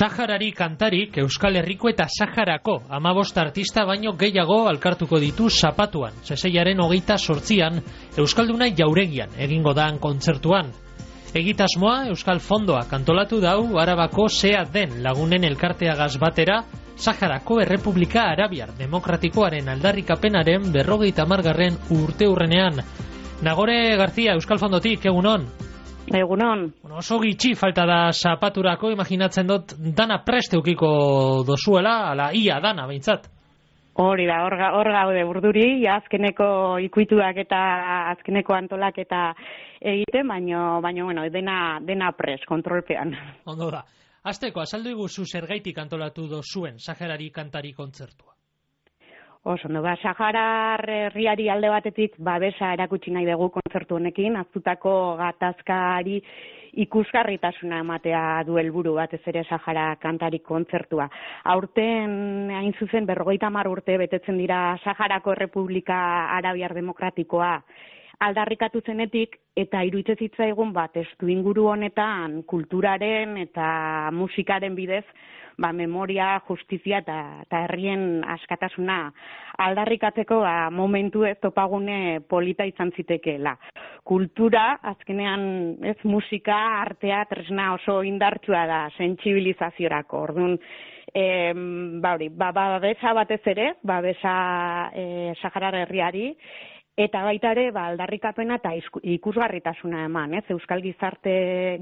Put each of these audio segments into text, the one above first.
Saharari kantarik Euskal Herriko eta Saharako 15 artista baino gehiago alkartuko ditu Zapatuan, Seseiaren 28an Euskalduna jauregian egingo da kontzertuan. Egitasmoa Euskal Fondoa kantolatu dau Arabako Sea den lagunen elkarteagaz batera Saharako Errepublika Arabiar Demokratikoaren aldarrikapenaren 50. urteurrenean. Nagore Garzia, Euskal Fondotik, egunon? Egunon. Oso gitxi falta da Zapaturako, imaginatzen dut dana prest eukiko dozuela, ala ia dana behintzat. Hori da, hor gaude burduri, azkeneko ikuituak eta azkeneko antolak eta egiten, baino bueno, dena prest, kontrolpean. Ondo da. Hasteko, azaldu iguzu zergaitik antolatu dozuen Saharari kantari kontzertua. Oso, Saharar herriari alde batetik babesa erakutsi nahi dugu kontzertu honekin, aztutako gatazkari ikusgarritasuna ematea du helburu batez ere Sahara kantari kontzertua. Aurten hain zuzen 50 urte betetzen dira Saharako Errepublika Arabiar Demokratikoa aldarrikatu zenetik, eta iruditzen zitzaigun testu inguru honetan kulturaren eta musikaren bidez memoria, justizia eta herrien askatasuna aldarrikatzeko momentu ez topagune polita izan zitekeela. Kultura, azkenean ez musika, artea, tresna oso indartsua da sentsibilizaziorako. Orduan, babesa batez ere, babesa Saharar herriari, eta baita ere, aldarrikapena eta ikusgarritasuna eman, Euskal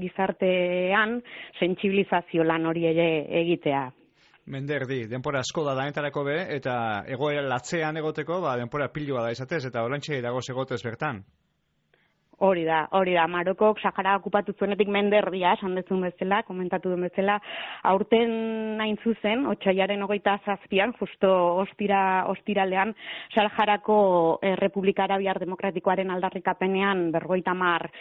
gizartean sentsibilizazio lan hori ere egitea. Menderdi, denpora asko da danetarako be, eta egoera latzean egoteko, denpora pilua da izatez, eta orantxe dagoz egotez bertan. Hori da, Marokok Sahara okupatu zuenetik menderdia, esan dezun bezala, komentatu duen bezala, aurten hain zuzen, otsailaren 27an, justo ostiralean, Saharako Errepublika Arabiar Demokratikoaren aldarrikapenean 50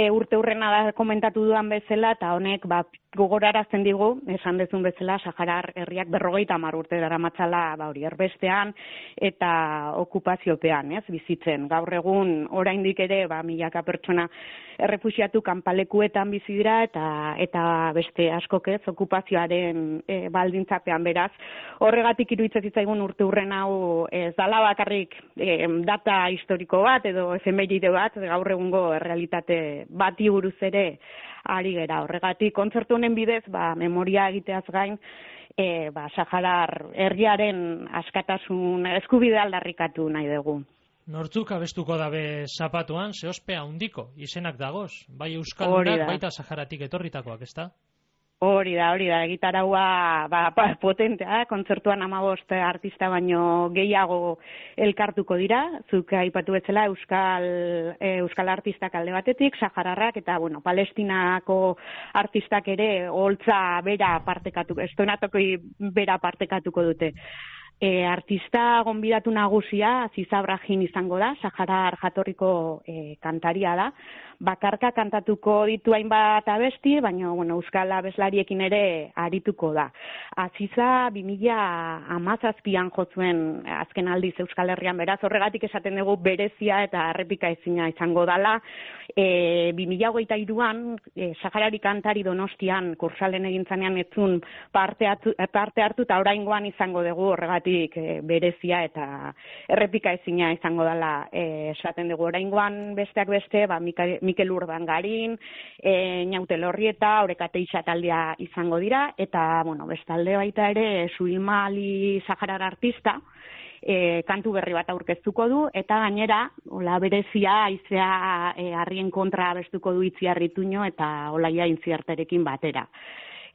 urte hurrena da komentatu dudan bezala, eta honek gogorarazten digu, esan dezun bezala, Saharar herriak 50 urte daramatzala erbestean eta okupaziopean, bizitzen. Gaur egun, oraindik ere, milaka pertsona errefuxiatu kanpalekuetan bizi dira eta beste askok okupazioaren baldintzapean, beraz. Horregatik iruditzen zitzaigun urte hurren hau ez dala bakarrik data historiko bat edo efemeride bat, gaur egungo realitate bati buruz ere ari gera. Horregatik kontzertu honen bidez memoria egiteaz gain Saharar herriaren askatasun eskubidea aldarrikatu nahi dugu. Nortzuk abestuko dabe Zapatuan, zeospea handiko izenak dagoz, bai Euskaldunak, baita Saharatik etorritakoak, ezta? Hori da, egitaraua potentea, kontzertuan 15 artista baino gehiago elkartuko dira, zuk aipatu bezala Euskal artistak alde batetik, Sahararrak eta Palestinako artistak ere holtza bera partekatuko, estonatokoi bera partekatuko dute. Artista gonbidatu nagusia Aziza Brahim izango da, Saharar jatorriko kantaria da. Bakarka kantatuko ditu hainbat abesti, baina euskal abeslariekin ere arituko da. Aziza 2017an jotzuen azken aldiz Euskal Herrian, beraz horregatik esaten dugu berezia eta errepika ezina izango dala. 2023an Saharari kantari Donostian kursalen egintzanean etzun parte hartu eta oraingoan izango dugu, horregatik berezia eta errepika ezina izango dela esaten dugu. Oraingoan besteak beste, Mikel Urdangarin, Ñaute Lorrieta, Orekateixa taldea izango dira, eta bestalde baita ere Suilma Ali Saharar artista kantu berri bat aurkeztuko du, eta gainera berezia haizea harrien kontra abestuko du Itziar Ituño eta Olaia Intziarterekin batera.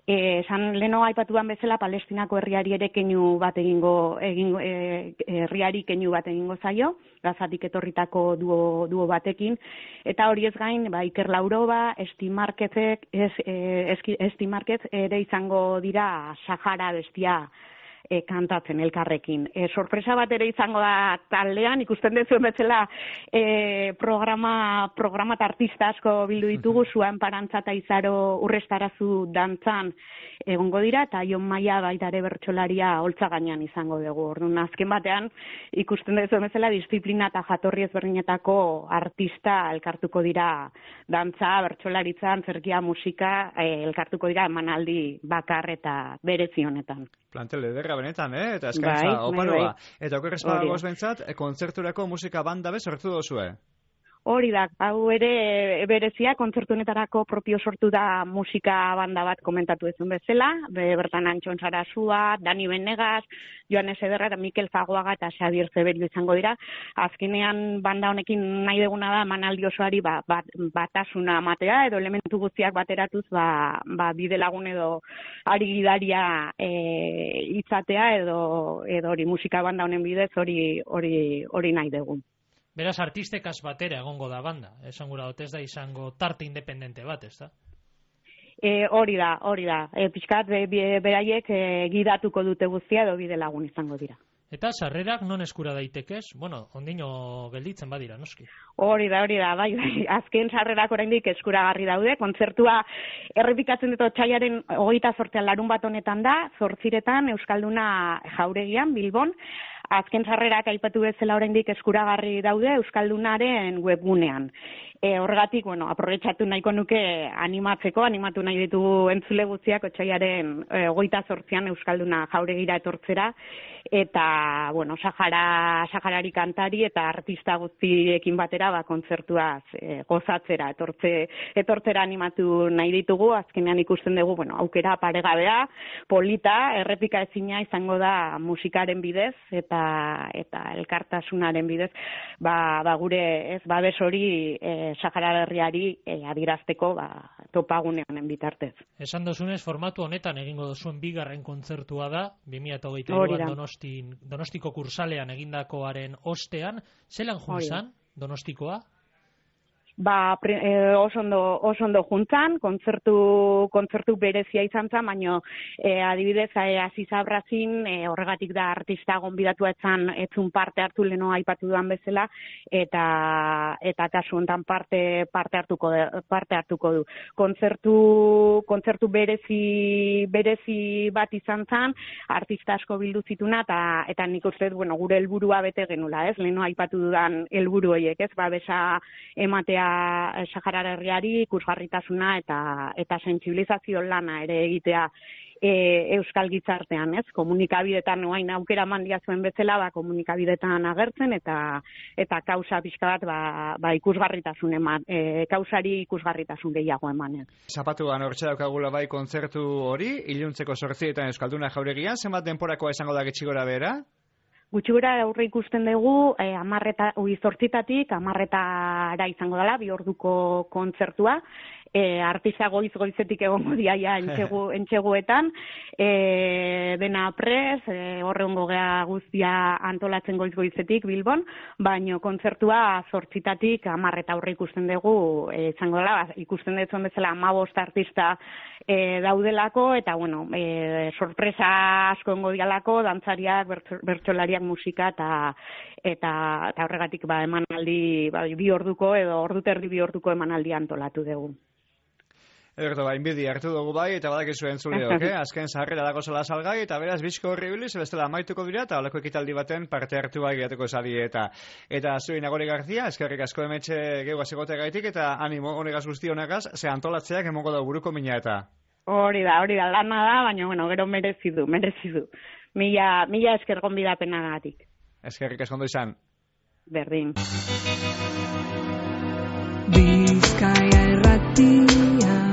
Esan leno aipatuan bezala Palestinako herriari ere keinu bat herriari keinu bat egingo zaio, Gazatik etorritako duo batekin, eta hori ez gain Iker Lauroba, Esti Marquez ere izango dira Sahara bestia kantatzen elkarrekin. Sorpresa bat ere izango da taldean, ikusten dezuen bezala programa eta artista asko bildu ditugu, Zuan Parantza eta Izaro Urrestarazu dantzan egongo dira, eta Jon Maia baita ere bertsolaria holtza gainean izango dugu. Orduan, azken batean, ikusten dezuen bezala disiplina eta jatorri ezberdinetako artista elkartuko dira dantza, bertsolaritza, antzerkia, musika, elkartuko dira emanaldi bakar eta berezi honetan. Plantel ederra benetan, eta eskaintza oparoa. Eta okerrez badagoz bentsat, kontzerturako musika banda sortu dozue? Hori da, hau ere berezia, kontzertu honetarako propio sortu da musika banda bat komentatu ezun bezala, bertan Antxon Sarasua, Dani Benegas, Joanes Ederra eta Mikel Fagoaga eta Xabier Zeberio izango dira. Azkenean banda honekin nahi deguna da emanaldi osoari batasuna matea edo elementu guztiak bateratuz bide lagun edo ari gidaria izatea edo hori musika banda honen bidez hori nahi dugu. Beraz, artistekaz batera egongo da banda. Esan gura dut ez da izango tarte independente bat, ez da? Hori da. Pixkat, beraiek gidatuko dute guztia edo bide lagun izango dira. Eta sarrerak non eskura daitekez? Bueno, ondino gelditzen badira, noski. Hori da, bai. Azken sarrerak oraindik eskuragarri daude. Kontzertua errepikatzen dut otsailaren 28 larun bat honetan da, 8 Euskalduna Jauregian, Bilbon. Azken sarrerak aipatu bezala oraindik eskuragarri daude Euskaldunaren webgunean. Horregatik, aprobetxatu nahiko nuke animatu nahi ditugu entzule guztiak otsailaren 28 Euskalduna Jauregira etortzera, eta, Saharari kantari eta artista guztiekin batera kontzertuaz gozatzera etortzera animatu nahi ditugu. Azkenean ikusten dugu, aukera paregabea, polita, errepika ezina izango da musikaren bidez eta elkartasunaren bidez, gure babes hori Sahara herriari adierazteko topagune honen bitartez. Esan dozunez, formatu honetan egingo dozuen bigarren kontzertua da, 2022 Donostiko kursalean egindakoaren ostean. Zelan juntzan Donostikoa? Oso ondo juntzan, kontzertu berezia izan zen, baina adibidez Aziz Abrazin horregatik da artista gonbidatua etzun parte hartu leno aipatu duan bezala, eta kasu honetan parte hartuko du. Kontzertu berezi bat izan zen, artista asko bildu zituna, eta nik uste gure helburua bete genula, ez? Leno aipatu dudan helburu horiek, ez? Babesa ematea Sahara herriari, ikusgarritasuna eta sentsibilizazio lana ere egitea euskal gizartean, ez? Komunikabidetan orain aukera mandia zuen bezala, komunikabidetan agertzen eta kausa pixka bat ikusgarritasun eman, kausari ikusgarritasun gehiago eman. Zapatuan hortxe daukagula bai kontzertu hori, iluntzeko 8 Euskalduna Jauregian, zenbat denporakoa izango da gutxi gora behera? Gutxi gora aurre ikusten dugu 8 10 izango dela, 2 orduko kontzertua. Artista goizetik egongo diaia entxeguetan, dena prez, horrengo gea guztia antolatzen goizetik Bilbon, baino kontzertua 8 10 aurre ikusten dugu, izango dela, ikusten dezuen bezala 15 artista daudelako, eta sorpresa asko engo dialako, dantzariak, bertsolariak, musika, eta horregatik emanaldi 2 orduko edo ordu terdi 2 orduko emanaldi antolatu dugu. Ederto, inbidi hartu dugu bai, eta badakizu entzuleok, azken sarrera dago zela salgai, eta beraz bizko horri biliz, bestela amaituko dira, eta holako ekitaldi baten parte hartu bai gehiatuko zari, eta zuen Nagore Garzia, eskerrik asko emetxe geugaz egotea gaitik, eta animo honegaz guzti honegaz, ze antolatzeak emongo da buruko mina eta. Hori da, lana da, baina, gero merezi du. Mila esker gonbidapenagatik. Eskerrik asko ondo izan. Berdin. Bizkaia Irratia